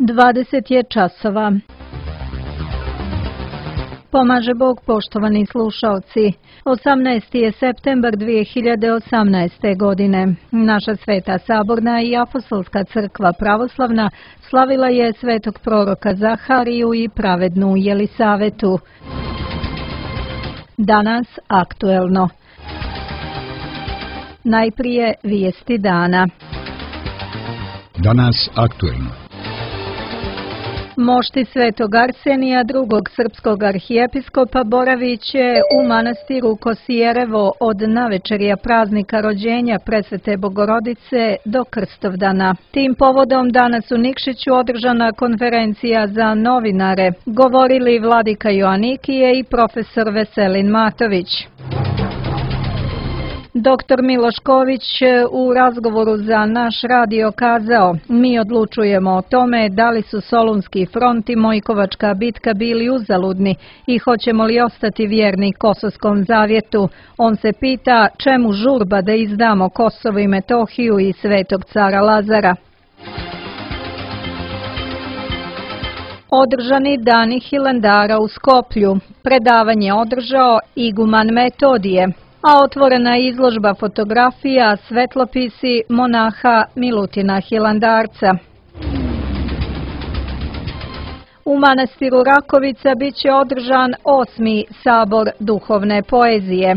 20 je časova. Pomaže Bog, poštovani slušaoci. 18. je septembar 2018. godine. Naša Sveta Saborna i Apostolska crkva pravoslavna slavila je svetog proroka Zahariju i pravednu Jelisavetu. Danas aktuelno. Najprije vijesti dana. Danas aktuelno. Mošti svetog Arsenija, drugog srpskog arhijepiskopa, boravit će u manastiru Kosijerevo od navečerja praznika rođenja Presvete Bogorodice do Krstovdana. Tim povodom danas u Nikšiću održana konferencija za novinare, govorili vladika Joanikije i profesor Veselin Matović. Dr. Miloš Ković u razgovoru za naš radio kazao: "Mi odlučujemo o tome da li su Solunski front i Mojkovačka bitka bili uzaludni i hoćemo li ostati vjerni Kosovskom zavjetu. On se pita čemu žurba da izdamo Kosovo i Metohiju i Svetog cara Lazara." Održani dani Hilandara u Skoplju. Predavanje održao iguman Metodije, a otvorena izložba fotografija svetlopisi monaha Milutina Hilandarca. U manastiru Rakovica biće održan 8. sabor duhovne poezije.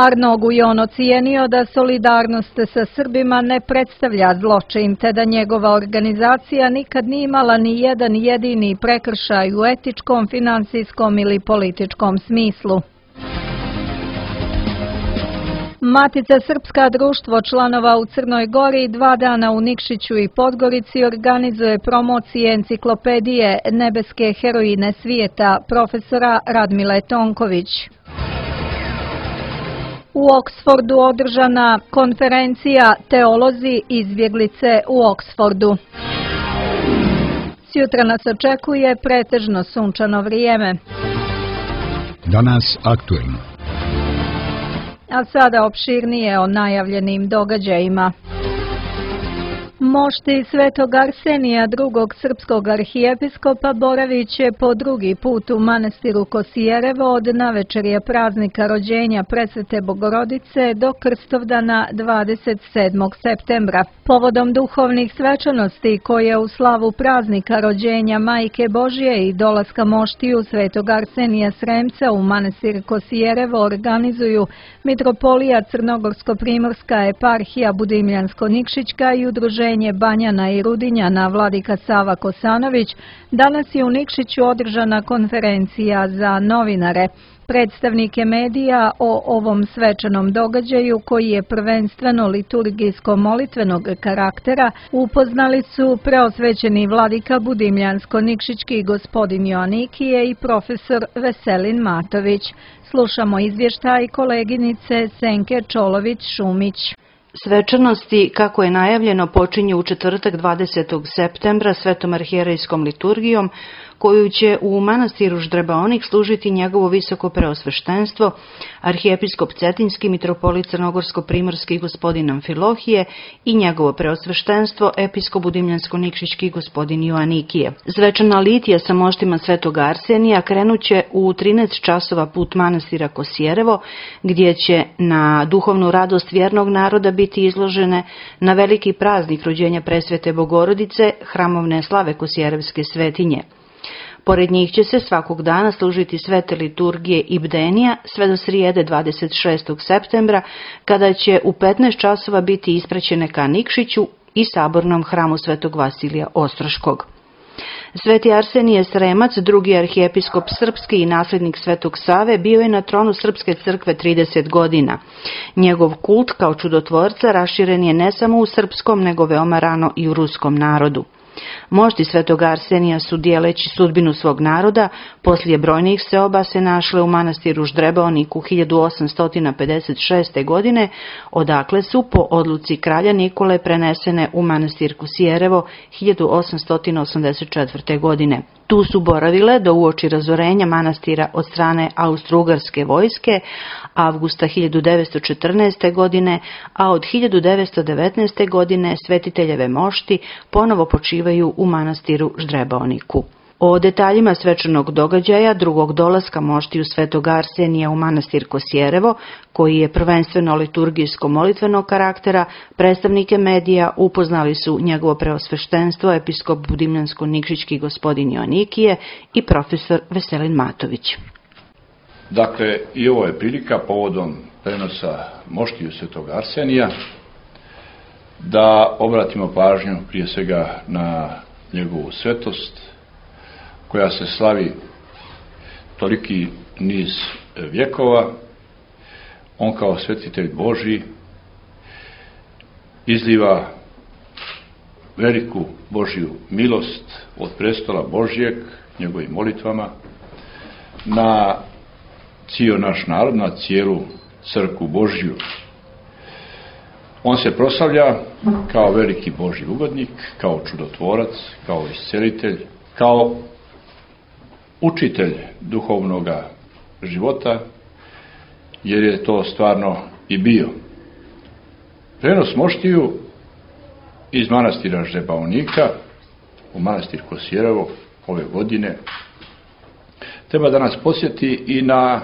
Arno Gujon ocijenio da solidarnost sa Srbima ne predstavlja zločin, te da njegova organizacija nikad nije imala ni jedan jedini prekršaj u etičkom, finansijskom ili političkom smislu. Matica Srpska, društvo članova u Crnoj Gori, 2 dana u Nikšiću i Podgorici organizuje promocije enciklopedije Nebeske heroine svijeta profesora Radmile Tonković. U Oksfordu održana konferencija Teolozi izbjeglice u Oksfordu. Sjutra nas očekuje pretežno sunčano vrijeme. Danas aktuelno. A sada opširnije o najavljenim događajima. Mošti svetog Arsenija, drugog srpskog arhijepiskopa, boravit će po drugi put u manastiru Kosijerevo od navečerja praznika rođenja Presvete Bogorodice do Krstovdana 27. septembra. Povodom duhovnih svečanosti koje u slavu praznika rođenja Majke Božje i dolaska moštiju svetog Arsenija Sremca u manastir Kosijerevo organizuju Mitropolija Crnogorsko-Primorska eparhija Budimljansko-Nikšićka i udruženje Banjana i Rudinjana vladika Sava Kosanović. Danas je u Nikšiću održana konferencija za novinare. Predstavnike medija o ovom svečanom događaju, koji je prvenstveno liturgijsko-molitvenog karaktera, upoznali su preosvećeni vladika Budimljansko-Nikšićki gospodin Joanikije i profesor Veselin Matović. Slušamo izvještaj koleginice Senke Čolović-Šumić. Svečanosti, kako je najavljeno, počinju u četvrtak 20. septembra svetom arhijerejskom liturgijom, koju će u manastiru Ždrebaonik služiti njegovo visoko preosveštenstvo, arhijepiskop Cetinski, mitropolit Crnogorsko-Primorski gospodin Amfilohije i njegovo preosveštenstvo, episkop Budimljansko-Nikšićki gospodin Joanikije. Svečana litija sa moštima svetog Arsenija krenuće u 13 časova put manastira Kosijerevo, gdje će na duhovnu radost vjernog naroda biti izložene na veliki praznik rođenja Presvete Bogorodice, hramovne slave Kosijerevske svetinje. Pored njih će se svakog dana služiti svete liturgije i bdenija sve do srijede 26. septembra, kada će u 15 časova biti ispraćene ka Nikšiću i sabornom hramu svetog Vasilija Ostroškog. Sveti Arsenije Sremac, drugi arhijepiskop srpski i nasljednik svetog Save, bio je na tronu Srpske crkve 30 godina. Njegov kult kao čudotvorca raširen je ne samo u srpskom, nego veoma rano i u ruskom narodu. Mošti svetog Arsenija su, dijeleći sudbinu svog naroda, poslije brojnih seoba se našle u manastiru Ždrebaoniku 1856. godine, odakle su po odluci kralja Nikole prenesene u manastir Kosijerevo 1884. godine. Tu Tu su boravile do uoči razorenja manastira od strane austro-ugarske vojske avgusta 1914. godine, a od 1919. godine svetiteljeve mošti ponovo počivaju u manastiru Ždrebaoniku. O detaljima svečanog događaja drugog dolaska moštiju svetog Arsenija u manastir Kosjerevo, koji je prvenstveno liturgijsko-molitvenog karaktera, predstavnike medija upoznali su njegovo preosveštenstvo episkop Budimljansko-Nikšićki gospodin Joanikije i profesor Veselin Matović. Dakle, i ovo je prilika povodom prenosa moštiju svetog Arsenija da obratimo pažnju prije svega na njegovu svetost, koja se slavi toliki niz vjekova. On kao svetitelj Božji izliva veliku Božju milost od prestola Božjeg njegovim molitvama na cijeli naš narod, na cijelu crkvu Božju. On se proslavlja kao veliki Božji ugodnik, kao čudotvorac, kao iscelitelj, kao učitelj duhovnog života, jer je to stvarno i bio. Prenos moštiju iz manastira Ždrebaonika u manastir Kosjerevo ove godine treba da nas podsjeti i na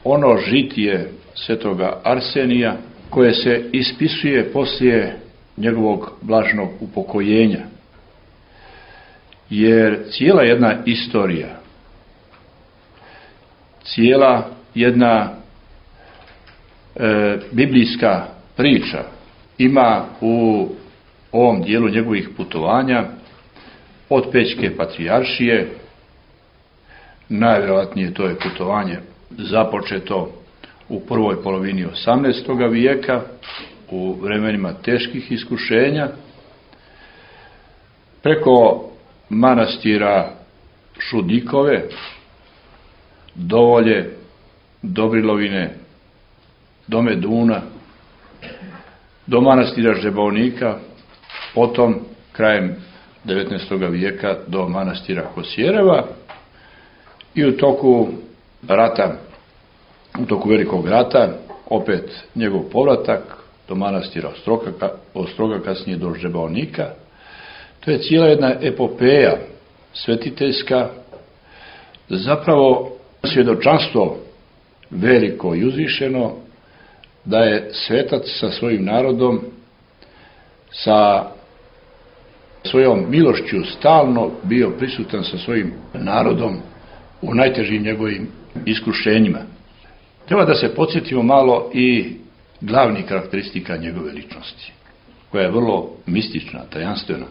ono žitije svetoga Arsenija koje se ispisuje poslije njegovog blaženog upokojenja. Jer cijela jedna istorija, cijela jedna biblijska priča ima u ovom dijelu njegovih putovanja od Pećke patrijaršije. Najvjerojatnije to je putovanje započeto u prvoj polovini 18. vijeka, u vremenima teških iskušenja, preko manastira Šudikove, Dovolje, Dobrilovine, do Meduna, do manastira Ždrebaonika, potom krajem 19. vijeka do manastira Kosjereva i u toku rata, u toku velikog rata, opet njegov povratak do manastira Ostroga, kasnije do Ždrebaonika. To je cijela jedna epopeja svetiteljska, zapravo svjedočanstvo veliko i uzvišeno da je svetac sa svojim narodom, sa svojom milošću stalno bio prisutan sa svojim narodom u najtežim njegovim iskušenjima. Treba da se podsjetimo malo i glavnih karakteristika njegove ličnosti, koja je vrlo mistična, tajanstvena.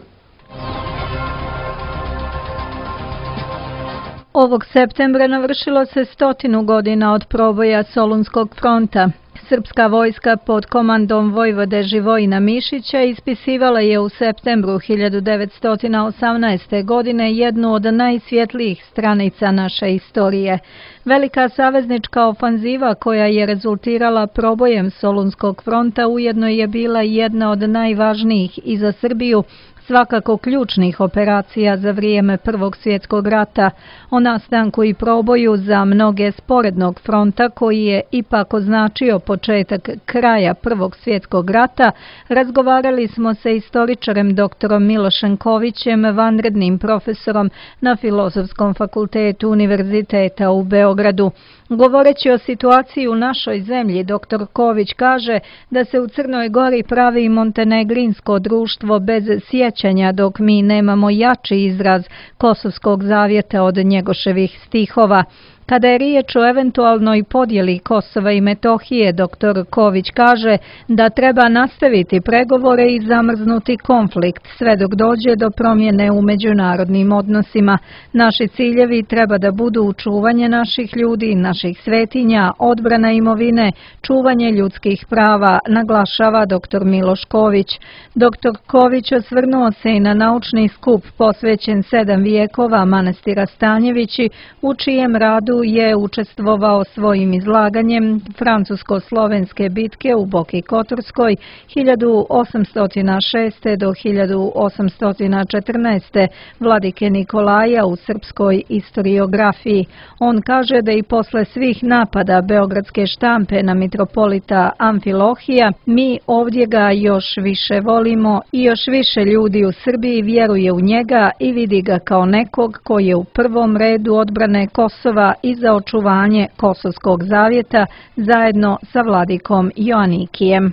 Ovog septembra navršilo se 100 godina od proboja Solunskog fronta. Srpska vojska pod komandom vojvode Živojina Mišića ispisivala je u septembru 1918. godine jednu od najsvjetlijih stranica naše istorije. Velika saveznička ofanziva koja je rezultirala probojem Solunskog fronta ujedno je bila jedna od najvažnijih i za Srbiju, svakako ključnih operacija za vrijeme Prvog svjetskog rata. O nastanku i proboju za mnoge sporednog fronta, koji je ipak označio početak kraja Prvog svjetskog rata, razgovarali smo sa istoričarem doktorom Milošem Kovićem, vanrednim profesorom na Filozofskom fakultetu Univerziteta u Beogradu. Govoreći o situaciji u našoj zemlji, dr. Ković kaže da se u Crnoj Gori pravi montenegrinsko društvo bez sjećanja, dok mi nemamo jači izraz Kosovskog zavjeta od Njegoševih stihova. Kada je riječ o eventualnoj podjeli Kosova i Metohije, dr. Ković kaže da treba nastaviti pregovore i zamrznuti konflikt sve dok dođe do promjene u međunarodnim odnosima. Naši ciljevi treba da budu čuvanje naših ljudi, naših svetinja, odbrana imovine, čuvanje ljudskih prava, naglašava dr. Miloš Ković. Dr. Ković osvrnuo se i na naučni skup posvećen 7 vijekova manastira Stanjevići, u čijem radu Beogradu je učestvovao svojim izlaganjem francusko-slovenske bitke u Boki Kotorskoj 1806. do 1814. vladike Nikolaja u srpskoj istoriografiji. On kaže da i posle svih napada beogradske štampe na mitropolita Amfilohija, mi ovdje ga još više volimo i još više ljudi u Srbiji vjeruje u njega i vidi ga kao nekog koji je u prvom redu odbrane Kosova i za očuvanje Kosovskog zavjeta zajedno sa vladikom Joanikijem.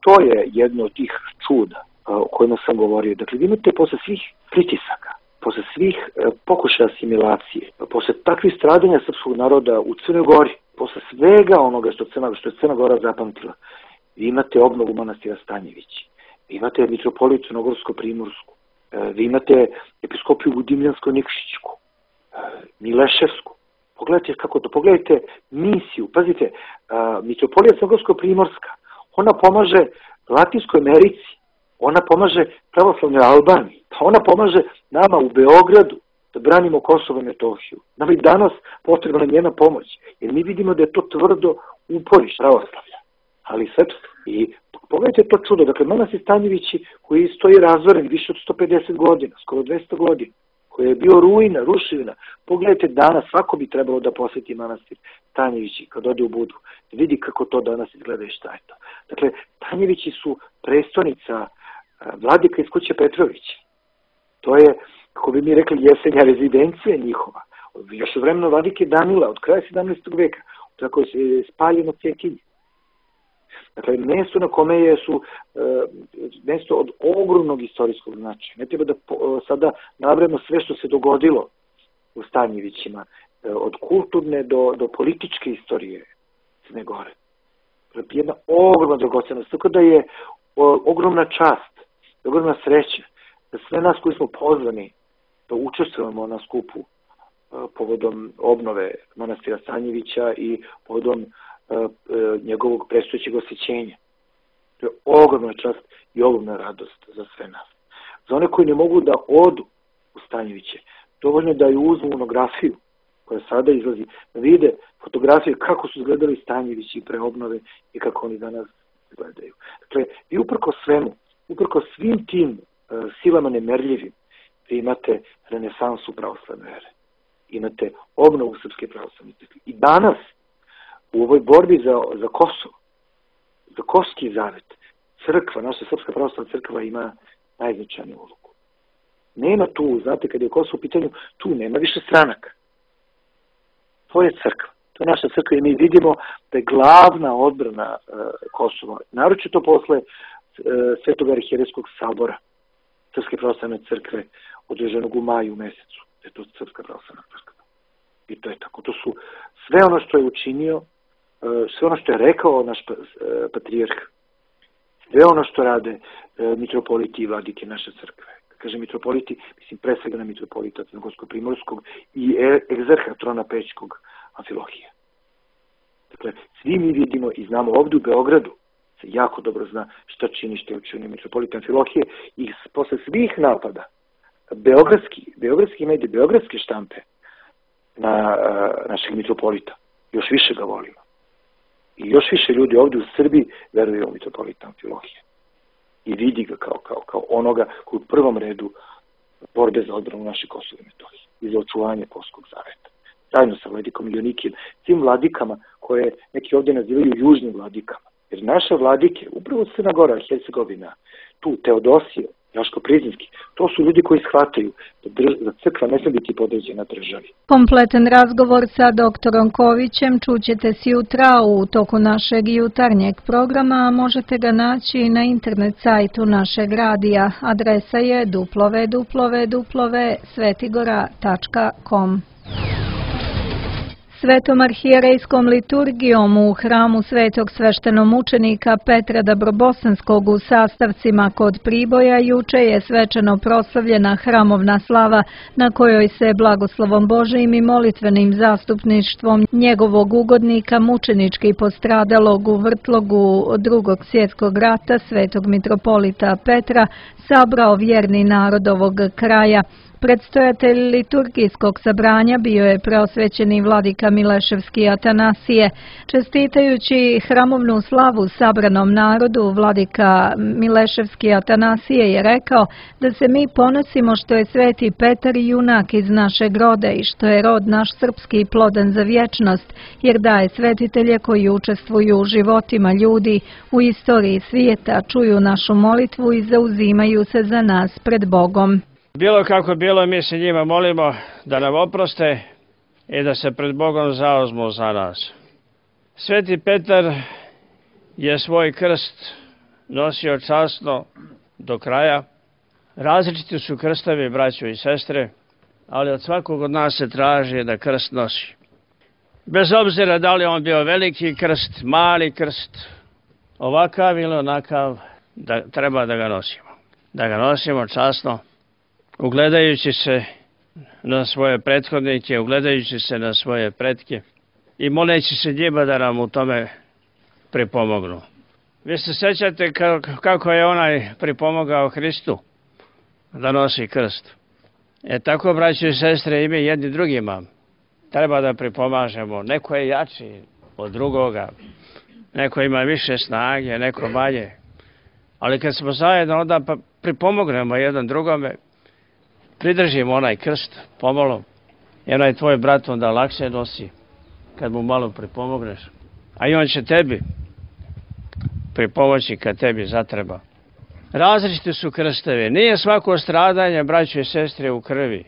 To je jedno od tih čuda o kojima sam govorio. Dakle, vi imate posle svih pritisaka, posle svih pokušaja asimilacije, posle takvih stradanja srpskog naroda u Crnoj Gori, posle svega onoga što je Crna Gora zapamtila, vi imate obnovu manastira Stanjevići, vi imate mitropolitu Crnogorsko-Primorsku, vi imate episkopiju Dimljansko-Nikšićku, Mileševsku. Pogledajte kako to, pogledajte misiju, pazite, mitropolija Crnogorsko-Primorska, ona pomaže Latinskoj Americi, ona pomaže pravoslavnoj Albaniji, pa ona pomaže nama u Beogradu da branimo Kosovo i Metohiju. Nama i danas potrebna njena pomoć, jer mi vidimo da je to tvrdo uporiš pravoslavlja, ali srpstvo. I pogledajte to čudo, dakle, manastir Stanjevići koji stoji razvoren više od 150 godina, skoro 200 godina, koji je bio ruina, ruševina. Pogledajte danas, svako bi trebalo da posjeti manastir Stanjevići kad ode u Budvu, da vidi kako to danas izgleda i šta je to. Dakle, Stanjevići su prestonica vladika iz kuće Petrovića. To je, kako bi mi rekli, jesenja rezidencija njihova. Još u vremenu vladike Danila, od kraja 17. veka, tako je spaljeno Cekinje. Dakle, mjesto na kome su mjesto od ogromnog istorijskog značaja. Ne treba da sada nabrajamo sve što se dogodilo u Stanjevićima, od kulturne do političke istorije Crne Gore. Jedna ogromna dragocenost, tako da je ogromna čast, ogromna sreća da sve nas koji smo pozvani da učestvujemo na skupu povodom obnove manastira Stanjevića i povodom njegovog predstojećeg osjećenja. To je ogromna čast i ogromna radost za sve nas. Za one koji ne mogu da odu u Stanjeviće, dovoljno da ju uzmu monografiju koja sada izlazi, da vide fotografije kako su izgledali Stanjevići pre obnove i kako oni danas izgledaju. Dakle, vi uprko svemu, uprko svim tim silama nemerljivim, vi imate renesansu pravoslavne vere. Imate obnovu srpske pravoslavne crkve. I danas, u ovoj borbi za Kosovo, za Kosovski zavet, crkva, naša Srpska pravoslavna crkva ima najznačajniju ulogu. Nema tu, znate, kad je Kosovo u pitanju, tu nema više stranaka. To je crkva. To je naša crkva i mi vidimo da je glavna odbrana Kosova, naročito posle Svetog arhijerejskog sabora Srpske pravoslavne crkve održanog u maju mesecu. Je to Srpska pravoslavna crkva. I to je tako. To su sve ono što je učinio, sve ono što je rekao naš patrijarh, sve ono što rade mitropoliti i vladike naše crkve. Kaže mitropoliti, mislim pre svega na mitropolita Crnogorsko-Primorskog i egzerha Trona Pećkog Amfilohija. Dakle, svi mi vidimo i znamo ovdje u Beogradu, se jako dobro zna šta čini, što je učinio mitropolita Amfilohije i posle svih napada beogradski mediji, beogradske štampe na našeg mitropolita, još više ga volimo. I još više ljudi ovdje u Srbiji veruju u mitropolita Amfilohije. I vidi ga kao onoga koji u prvom redu borbe za odbranu naše Kosova i Metohije i za očuvanje Kosovskog zaveta. Zajedno sa vladikom Joanikijem, tim vladikama koje neki ovdje nazivaju južnim vladikama. Jer naše vladike, upravo Crna Gora, Hercegovina, tu Teodosije, Jaško Prizinski, to su ljudi koji shvataju da crkva ne smije biti podređena državi. Kompletan razgovor sa doktorom Kovićem čućete sjutra u toku našeg jutarnjeg programa, a možete ga naći na internet sajtu našeg radija. Adresa je www.svetigora.com. Svetom arhijerejskom liturgijom u hramu svetog sveštenomučenika Petra Dabrobosanskog u Sastavcima kod Priboja juče je svečano proslavljena hramovna slava na kojoj se blagoslovom Božijim i molitvenim zastupništvom njegovog ugodnika mučenički postradalog u vrtlogu Drugog svjetskog rata svetog mitropolita Petra sabrao vjerni narod ovog kraja. Predstojatelj liturgijskog sabranja bio je preosvećeni vladika Mileševski Atanasije. Čestitajući hramovnu slavu sabranom narodu, vladika Mileševski Atanasije je rekao da se mi ponosimo što je sveti Petar junak iz našeg roda i što je rod naš srpski plodan za vječnost, jer daje svetitelje koji učestvuju u životima ljudi, u istoriji svijeta, čuju našu molitvu i zauzimaju se za nas pred Bogom. Bilo kako bilo, mi se njima molimo da nam oproste i da se pred Bogom zauzmu za nas. Sveti Petar je svoj krst nosio časno do kraja. Različiti su krstovi, braćo i sestre, ali od svakog od nas se traži da krst nosi. Bez obzira da li on bio veliki krst, mali krst, ovakav ili onakav, da treba da ga nosimo. Da ga nosimo časno, ugledajući se na svoje prethodnike, ugledajući se na svoje pretke i moleći se njima da nam u tome pripomognu. Vi se sjećate kako je onaj pripomogao Hristu da nosi krst. Tako, braći i sestre, i mi jedni drugima treba da pripomažemo. Neko je jači od drugoga, neko ima više snage, neko manje. Ali kad smo zajedno, onda pripomognemo jedan drugome, pridržimo onaj krst pomalo i onaj tvoj brat onda lakše nosi kad mu malo pripomogneš. A i on će tebi pripomoći kad tebi zatreba. Različiti su krstovi. Nije svako stradanje, braćo i sestre, u krvi.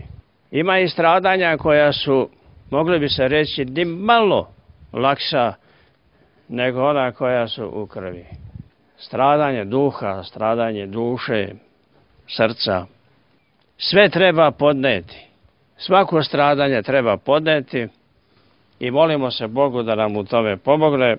Ima i stradanja koja su, mogli bi se reći, ni malo lakša nego ona koja su u krvi. Stradanje duha, stradanje duše, srca. Sve treba podneti. Svako stradanje treba podneti i molimo se Bogu da nam u tome pomogne.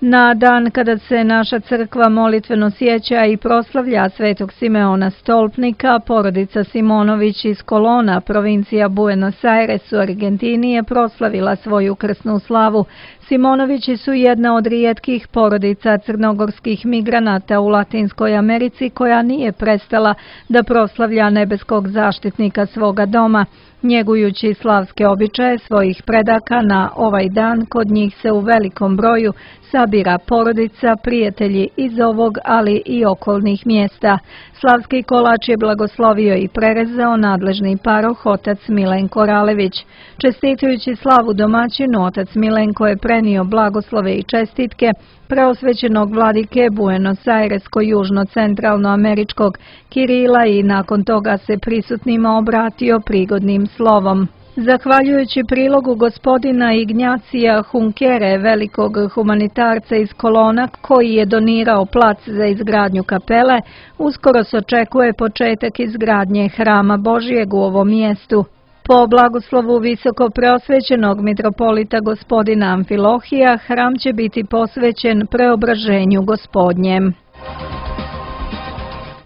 Na dan kada se naša crkva molitveno sjeća i proslavlja svetog Simeona Stolpnika, porodica Simonović iz Kolona, provincija Buenos Aires u Argentini, je proslavila svoju krsnu slavu. Simonovići su jedna od rijetkih porodica crnogorskih migranata u Latinskoj Americi koja nije prestala da proslavlja nebeskog zaštitnika svoga doma. Njegujući slavske običaje svojih predaka, na ovaj dan kod njih se u velikom broju sabira porodica, prijatelji iz ovog, ali i okolnih mjesta. Slavski kolač je blagoslovio i prerezao nadležni paroh otac Milenko Ralević. Čestitujući slavu domaćinu, otac Milenko je prenio blagoslove i čestitke preosvećenog vladike Buenos Airesko-južno-centralnoameričkog Kirila i nakon toga se prisutnima obratio prigodnim slovom. Zahvaljujući prilogu gospodina Ignacija Hunkere, velikog humanitarca iz Kolona, koji je donirao plac za izgradnju kapele, uskoro se očekuje početak izgradnje hrama Božijeg u ovom mjestu. Po blagoslovu visoko preosvećenog mitropolita gospodina Amfilohija, hram će biti posvećen preobraženju Gospodnjem.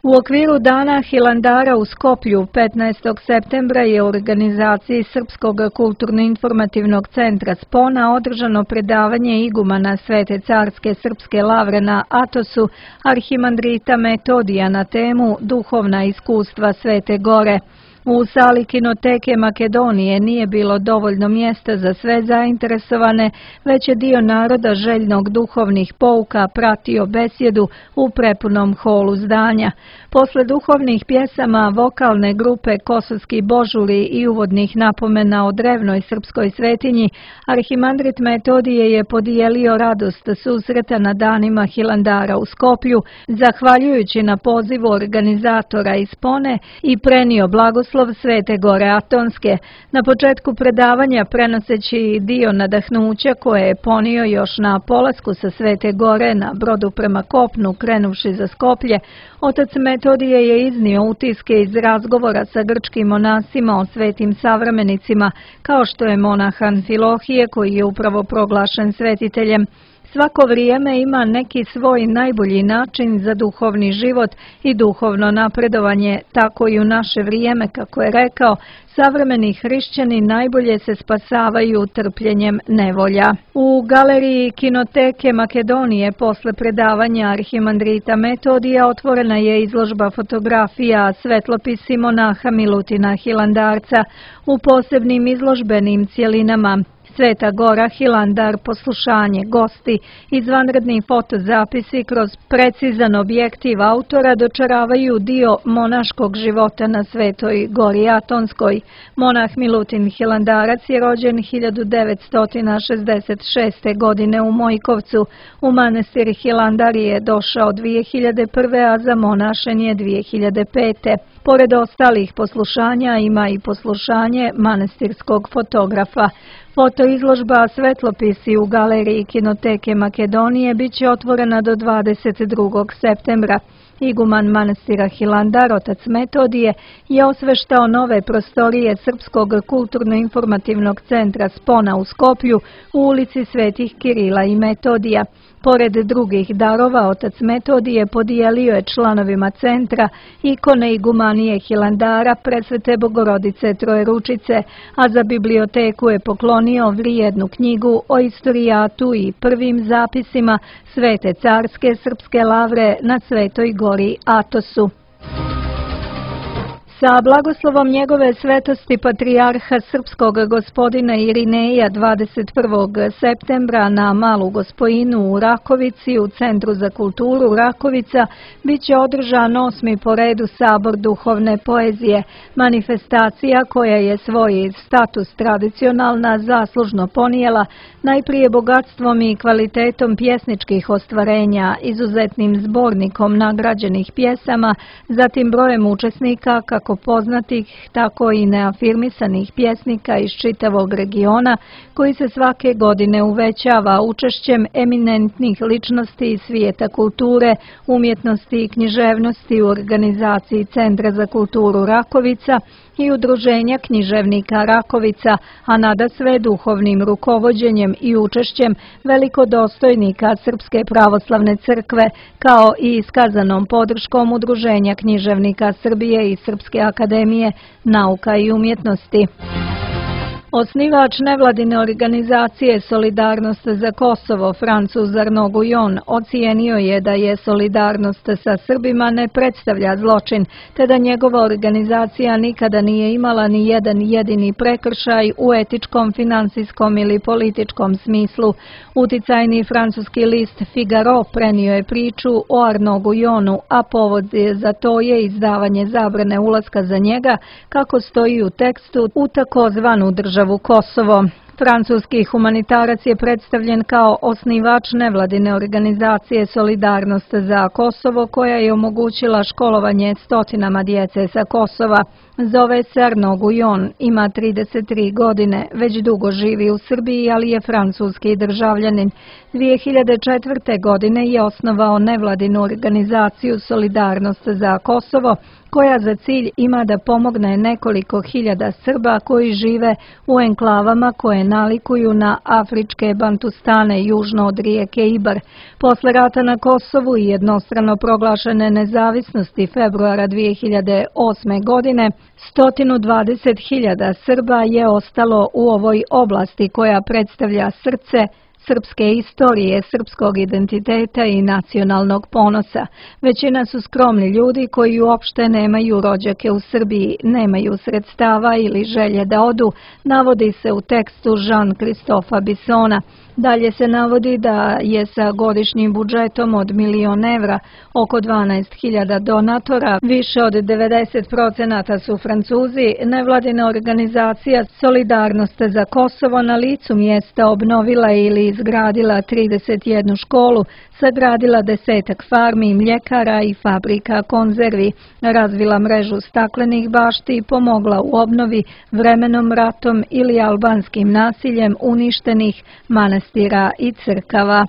U okviru Dana Hilandara u Skoplju 15. septembra je u organizaciji Srpskog kulturno-informativnog centra Spona održano predavanje igumana Svete carske srpske lavre na Atosu arhimandrita Metodija na temu Duhovna iskustva Svete Gore. U sali Kinoteke Makedonije nije bilo dovoljno mjesta za sve zainteresovane, već je dio naroda željnog duhovnih pouka pratio besjedu u prepunom holu zdanja. Posle duhovnih pjesama, vokalne grupe Kosovski božuli i uvodnih napomena o drevnoj srpskoj svetinji, arhimandrit Metodije je podijelio radost susreta na danima Hilandara u Skoplju, zahvaljujući na pozivu organizatora iz Spone i prenio blagoslov Svete Gore Atonske. Na početku predavanja, prenoseći dio nadahnuća koje je ponio još na polasku sa Svete Gore na brodu prema kopnu krenuvši za Skoplje, otac Metodije je iznio utiske iz razgovora sa grčkim monasima o svetim savremenicima, kao što je monah Amfilohije koji je upravo proglašen svetiteljem. Svako vrijeme ima neki svoj najbolji način za duhovni život i duhovno napredovanje, tako i u naše vrijeme, kako je rekao, savremeni hrišćani najbolje se spasavaju trpljenjem nevolja. U galeriji Kinoteke Makedonije posle predavanja arhimandrita Metodija otvorena je izložba fotografija svetlopisi monaha Milutina Hilandarca u posebnim izložbenim cjelinama. Sveta Gora, Hilandar, poslušanje, gosti, izvanredni fotozapisi kroz precizan objektiv autora dočaravaju dio monaškog života na Svetoj Gori Atonskoj. Monah Milutin Hilandarac je rođen 1966. godine u Mojkovcu. U manastir Hilandar je došao 2001. a za monašen je 2005. Pored ostalih poslušanja ima i poslušanje manastirskog fotografa. Fotoizložba svetlopisi u galeriji Kinoteke Makedonije biće otvorena do 22. septembra. Iguman manastira Hilandar, otac Metodije, je osveštao nove prostorije Srpskog kulturno-informativnog centra Spona u Skoplju u ulici Svetih Kirila i Metodija. Pored drugih darova, otac Metodije podijelio je članovima centra ikone igumanije Hilandara, Presvete Bogorodice Trojeručice, a za biblioteku je poklonio vrijednu knjigu o istorijatu i prvim zapisima Svete carske srpske lavre na Svetoj Gori Atosu. Sa blagoslovom njegove svetosti patrijarha srpskog gospodina Irineja 21. septembra na Malu Gospojinu u Rakovici u Centru za kulturu Rakovica biće održan 8. po redu sabor duhovne poezije, manifestacija koja je svoj status tradicionalna zaslužno ponijela najprije bogatstvom i kvalitetom pjesničkih ostvarenja, izuzetnim zbornikom nagrađenih pjesama, zatim brojem učesnika kako poznatih, tako i neafirmisanih pjesnika iz čitavog regiona, koji se svake godine uvećava učešćem eminentnih ličnosti iz svijeta kulture, umjetnosti i književnosti u organizaciji Centra za kulturu Rakovica i Udruženja književnika Rakovica, a nadasve duhovnim rukovođenjem i učešćem velikodostojnika Srpske pravoslavne crkve, kao i iskazanom podrškom Udruženja književnika Srbije i Srpske akademije nauka i umjetnosti. Osnivač nevladine organizacije Solidarnost za Kosovo, Francuz Arnaud Guillon, ocijenio je da je solidarnost sa Srbima ne predstavlja zločin, te da njegova organizacija nikada nije imala ni jedan jedini prekršaj u etičkom, finansijskom ili političkom smislu. Uticajni francuski list Figaro prenio je priču o Arnaud Guillonu, a povod za to je izdavanje zabrane ulaska za njega, kako stoji u tekstu, u takozvanu državu Kosovo. Francuski humanitarac je predstavljen kao osnivač nevladine organizacije Solidarnost za Kosovo, koja je omogućila školovanje stotinama djece sa Kosova. Zove se Arnaud Guillon, ima 33 godine, već dugo živi u Srbiji, ali je francuski državljanin. 2004. godine je osnovao nevladinu organizaciju Solidarnost za Kosovo, koja za cilj ima da pomogne nekoliko hiljada Srba koji žive u enklavama koje nalikuju na afričke Bantustane južno od rijeke Ibar. Posle rata na Kosovu i jednostrano proglašene nezavisnosti februara 2008. godine, 120.000 Srba je ostalo u ovoj oblasti koja predstavlja srce srpske istorije, srpskog identiteta i nacionalnog ponosa. Većina su skromni ljudi koji uopšte nemaju rođake u Srbiji, nemaju sredstava ili želje da odu, navodi se u tekstu Jean-Christopha Bissona. Dalje se navodi da je sa godišnjim budžetom od 1.000.000 evra, oko 12.000 donatora, više od 90% su Francuzi, nevladina organizacija Solidarnost za Kosovo na licu mjesta obnovila ili izgradila 31 školu, sagradila 10 farmi, mljekara i fabrika konzervi, razvila mrežu staklenih bašti i pomogla u obnovi vremenom ratom ili albanskim nasiljem uništenih manastira i crkava.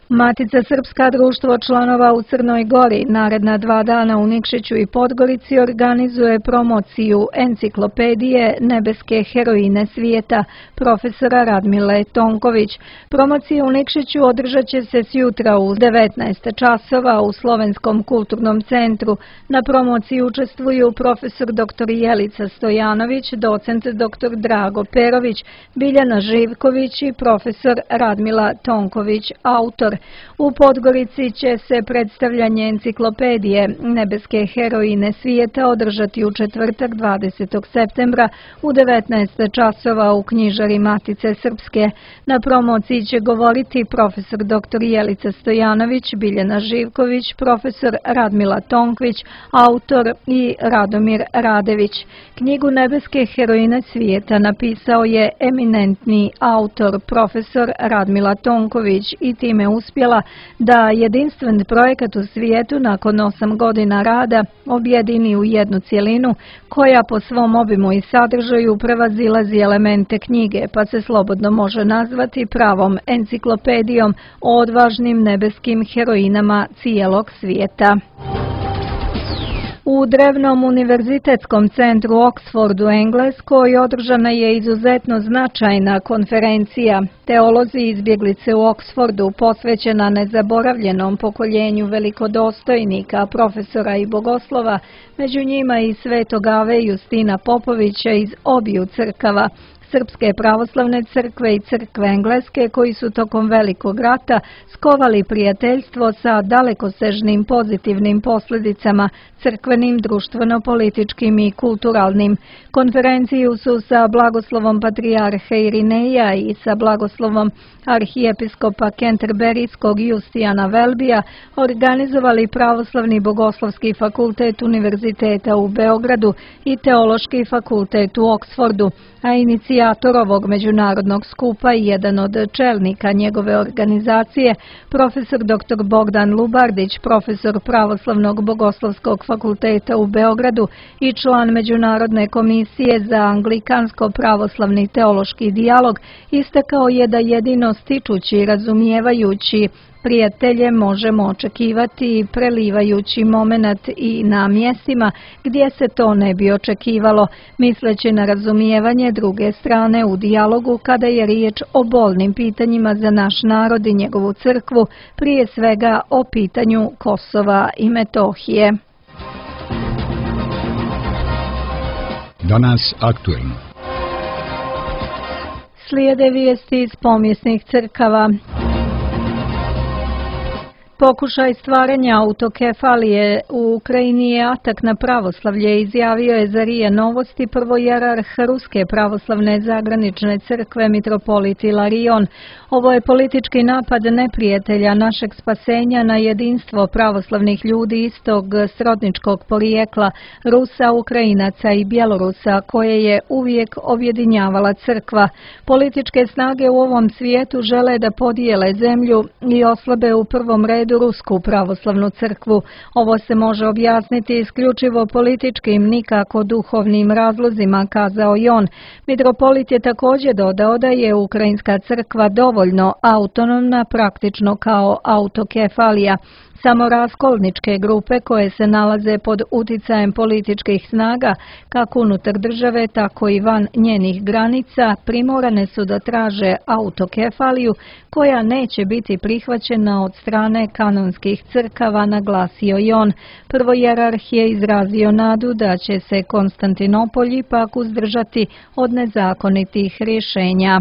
Matica Srpska, društvo članova u Crnoj Gori, naredna 2 dana u Nikšiću i Podgorici organizuje promociju enciklopedije Nebeske heroine svijeta profesora Radmile Tonković. Promocija u Nikšiću održat će se sjutra u 19 časova u Slovenskom kulturnom centru. Na promociji učestvuju profesor dr. Jelica Stojanović, docent dr. Drago Perović, Biljana Živković i profesor Radmila Tonković, autor. U Podgorici će se predstavljanje enciklopedije Nebeske heroine svijeta održati u četvrtak 20. septembra u 19 časova u knjižari Matice Srpske. Na promociji će govoriti profesor dr. Jelica Stojanović, Biljana Živković, profesor Radmila Tonkvić, autor i Radomir Radević. Knjigu Nebeske heroine svijeta napisao je eminentni autor profesor Radmila Tonković i time uspjela da jedinstven projekat u svijetu nakon 8 godina rada objedini u jednu cjelinu koja po svom obimu i sadržaju prevazilazi elemente knjige, pa se slobodno može nazvati pravom enciklopedijom o odvažnim nebeskim heroinama cijelog svijeta. U drevnom univerzitetskom centru Oxfordu, Engleskoj, održana je izuzetno značajna konferencija Teolozi izbjeglice u Oxfordu, posvećena nezaboravljenom pokoljenju velikodostojnika, profesora i bogoslova, među njima i svetog Ave Justina Popovića iz obiju crkava, Srpske pravoslavne crkve i crkve Engleske, koji su tokom Velikog rata skovali prijateljstvo sa dalekosežnim pozitivnim posljedicama, crkvenim, društveno-političkim i kulturalnim. Konferenciju su sa blagoslovom patrijarha Irineja i sa blagoslovom arhijepiskopa Kenterberijskog Justijana Velbija organizovali Pravoslavni bogoslovski fakultet Univerziteta u Beogradu i Teološki fakultet u Oksfordu, a inicijator ovog međunarodnog skupa i jedan od čelnika njegove organizacije, profesor dr. Bogdan Lubardić, profesor Pravoslavnog bogoslovskog fakulteta u Beogradu i član Međunarodne komisije za anglikansko-pravoslavni teološki dijalog, istakao je da jedino stičući i razumijevajući prijatelje možemo očekivati prelivajući momenat i na mjestima gdje se to ne bi očekivalo, misleći na razumijevanje druge strane u dijalogu kada je riječ o bolnim pitanjima za naš narod i njegovu crkvu, prije svega o pitanju Kosova i Metohije. Danas aktuelno. Slijede vijesti iz pomjesnih crkava. Pokušaj stvaranja autokefalije u Ukrajini je atak na pravoslavlje, izjavio je za RIA Novosti prvojerarh Ruske pravoslavne zagranične crkve mitropolit Ilarion. Ovo je politički napad neprijatelja našeg spasenja na jedinstvo pravoslavnih ljudi istog srodničkog porijekla, Rusa, Ukrajinaca i Bjelorusa, koje je uvijek objedinjavala crkva. Političke snage u ovom svijetu žele da podijele zemlju i oslabe u prvom redu Rusku pravoslavnu crkvu. Ovo se može objasniti isključivo političkim, nikako duhovnim razlozima, kazao je on. Mitropolit je također dodao da je ukrajinska crkva dovoljno autonomna, praktično kao autokefalija. Samo raskolničke grupe koje se nalaze pod uticajem političkih snaga, kako unutar države, tako i van njenih granica, primorane su da traže autokefaliju koja neće biti prihvaćena od strane kanonskih crkava, naglasio je on. Prvojerarh je izrazio nadu da će se Konstantinopolj ipak uzdržati od nezakonitih rješenja.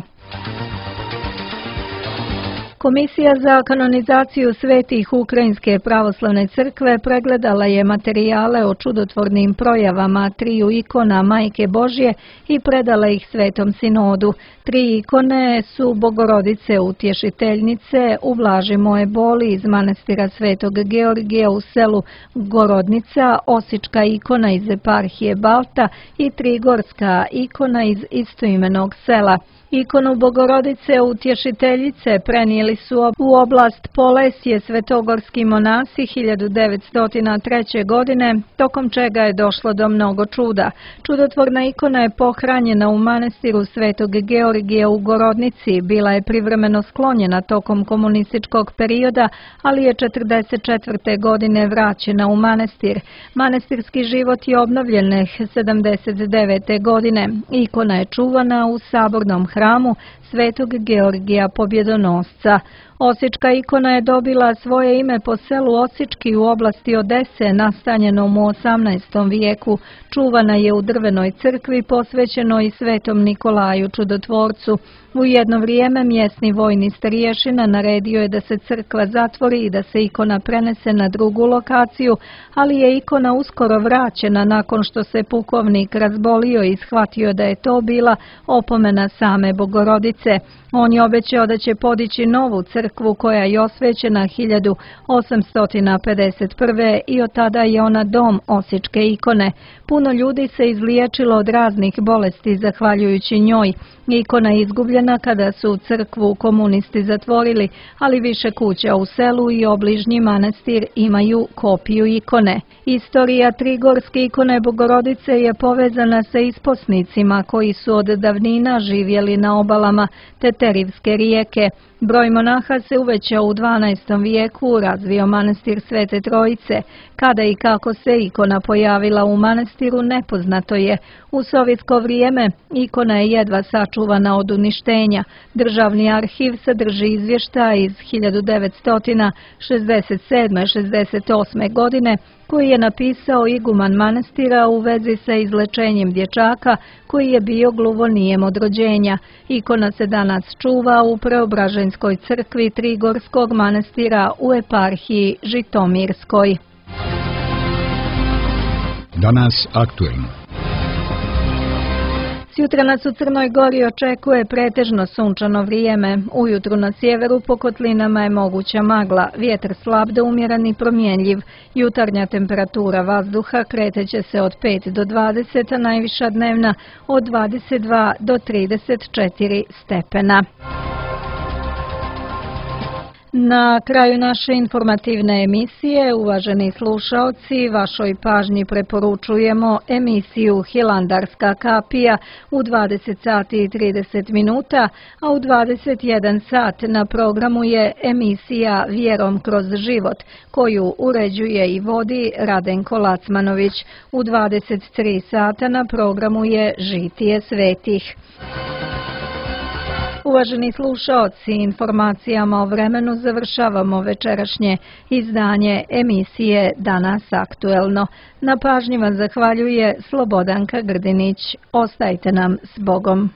Komisija za kanonizaciju svetih Ukrajinske pravoslavne crkve pregledala je materijale o čudotvornim projavama triju ikona Majke Božje i predala ih Svetom sinodu. 3 ikone su Bogorodice Utješiteljnice, Ublaži moje boli iz manastira Svetog Georgija u selu Gorodnica, Osička ikona iz eparhije Balta i Trigorska ikona iz istoimenog sela. Ikonu Bogorodice Utješiteljice prenijeli Došli su u oblast Polesje svetogorski monasi 1903. godine, tokom čega je došlo do mnogo čuda. Čudotvorna ikona je pohranjena u manastiru Svetog Georgija u Gorodnici, bila je privremeno sklonjena tokom komunističkog perioda, ali je 1944. godine vraćena u manastir. Manastirski život je obnovljen 1979. godine. Ikona je čuvana u sabornom hramu Svetog Georgija Pobjedonosca. Osička ikona je dobila svoje ime po selu Osički u oblasti Odese, nastanjenom u 18. vijeku. Čuvana je u drvenoj crkvi posvećenoj Svetom Nikolaju Čudotvorcu. U jedno vrijeme mjesni vojni starješina naredio je da se crkva zatvori i da se ikona prenese na drugu lokaciju, ali je ikona uskoro vraćena nakon što se pukovnik razbolio i shvatio da je to bila opomena same Bogorodice. On je obećao da će podići novu crkvu koja je osvećena 1851. i od tada je ona dom Osičke ikone. Puno ljudi se izliječilo od raznih bolesti zahvaljujući njoj. Ikona je izgubljena kada su crkvu komunisti zatvorili, ali više kuća u selu i obližnji manastir imaju kopiju ikone. Istorija trigorske ikone Bogorodice je povezana sa isposnicima koji su od davnina živjeli na obalama Teterivske rijeke. Broj monaha se uvećao u 12. vijeku, razvio manastir Svete Trojice. Kada i kako se ikona pojavila u manastiru nepoznato je. U sovjetsko vrijeme ikona je jedva sačuvana od uništenja. Državni arhiv sadrži izvještaj iz 1967-68. godine koji je napisao iguman manastira u vezi sa izlečenjem dječaka koji je bio gluvonijem od rođenja. Ikona se danas čuva u Preobraženskoj crkvi Trigorskog manastira u eparhiji Žitomirskoj. Danas aktuelno. Sjutra nas u Crnoj Gori očekuje pretežno sunčano vrijeme. Ujutru na sjeveru po kotlinama je moguća magla, vjetar slab do umjeren i promjenjiv. Jutarnja temperatura vazduha kreteće se od 5 do 20, a najviša dnevna od 22 do 34 stepena. Na kraju naše informativne emisije, uvaženi slušaoci, vašoj pažnji preporučujemo emisiju Hilandarska kapija u 20 sati i 30 minuta, a u 21 sat na programu je emisija Vjerom kroz život, koju uređuje i vodi Radenko Lacmanović. U 23 sata na programu je Žitije svetih. Uvaženi slušaoci, informacijama o vremenu završavamo večerašnje izdanje emisije Danas aktuelno. Na pažnji vam zahvaljuje Slobodanka Grdinić. Ostajte nam s Bogom.